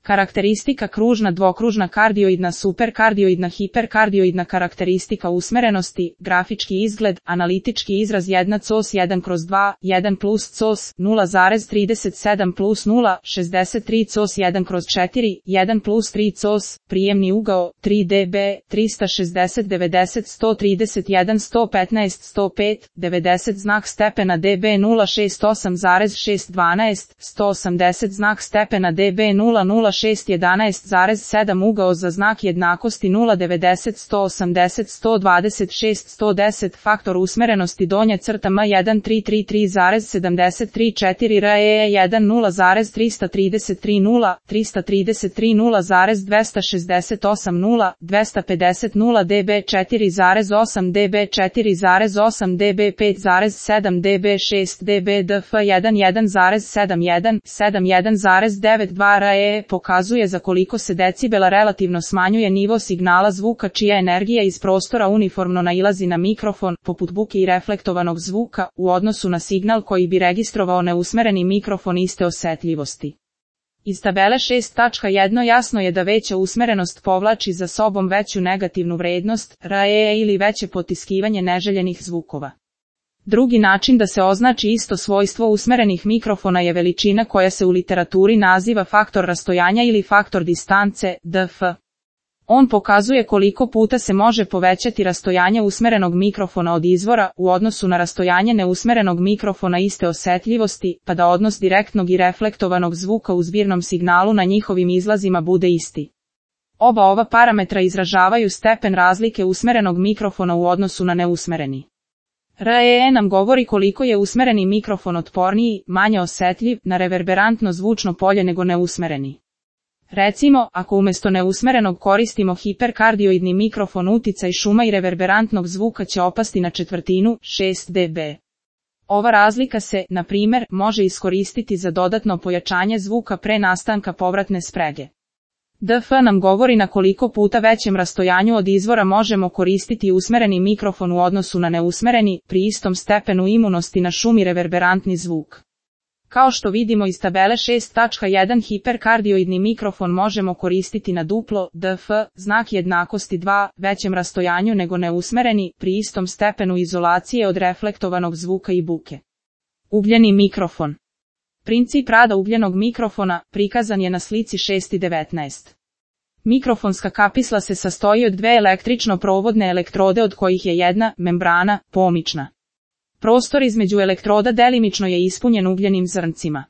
Karakteristika kružna, dvokružna, kardioidna, superkardioidna, hiperkardioidna, karakteristika usmerenosti, grafički izgled, analitički izraz 1 cos 1/2, 1 plus cos, 0,37 plus 0, 63 cos 1/4, 1 plus 3 cos, prijemni ugao, 3 dB, 360, 90, 131, 115, 105, 90 znak stepena dB 068,612, 180 znak stepena dB 00611,7 ugao za znak jednakosti 090, 180, 126, 110 faktor usmerenosti donja crta M1333,734 REE 1 0,333 0, 333 0,268 0, 250 0 dB 4,8 dB 4,8 dB 5,7 dB 6 dB dF 1 1,71 71,92 REE pokazuje za koliko se decibela relativno smanjuje nivo signala zvuka čija energija iz prostora uniformno nailazi na mikrofon, poput buke i reflektovanog zvuka, u odnosu na signal koji bi registrovao neusmereni mikrofon iste osetljivosti. Iz tabele 6.1 jasno je da veća usmerenost povlači za sobom veću negativnu vrednost, REE ili veće potiskivanje neželjenih zvukova. Drugi način da se označi isto svojstvo usmerenih mikrofona je veličina koja se u literaturi naziva faktor rastojanja ili faktor distance, DF. On pokazuje koliko puta se može povećati rastojanje usmerenog mikrofona od izvora u odnosu na rastojanje neusmerenog mikrofona iste osetljivosti, pa da odnos direktnog i reflektovanog zvuka u zbirnom signalu na njihovim izlazima bude isti. Oba ova parametra izražavaju stepen razlike usmerenog mikrofona u odnosu na neusmereni. REE nam govori koliko je usmereni mikrofon otporniji, manje osetljiv na reverberantno zvučno polje nego neusmereni. Recimo, ako umjesto neusmerenog koristimo hiperkardioidni mikrofon, uticaj šuma i reverberantnog zvuka će opasti na četvrtinu, 6 dB. Ova razlika se, na primjer, može iskoristiti za dodatno pojačanje zvuka pre nastanka povratne sprege. DF nam govori na koliko puta većem rastojanju od izvora možemo koristiti usmereni mikrofon u odnosu na neusmereni, pri istom stepenu imunosti na šum i reverberantni zvuk. Kao što vidimo iz tabele 6.1 hiperkardioidni mikrofon možemo koristiti na duplo, DF, znak jednakosti 2, većem rastojanju nego neusmereni, pri istom stepenu izolacije od reflektovanog zvuka i buke. Ugljeni mikrofon. Princip rada ugljenog mikrofona prikazan je na slici 6.19. Mikrofonska kapisla se sastoji od dve električno provodne elektrode od kojih je jedna, membrana, pomična. Prostor između elektroda delimično je ispunjen ugljenim zrncima.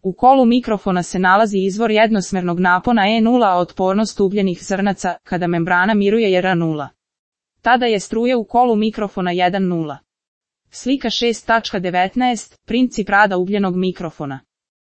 U kolu mikrofona se nalazi izvor jednosmernog napona E0, a otpornost ugljenih zrnaca, kada membrana miruje je R0. Tada je struja u kolu mikrofona 1,0. Slika 6.19, princip rada ugljenog mikrofona.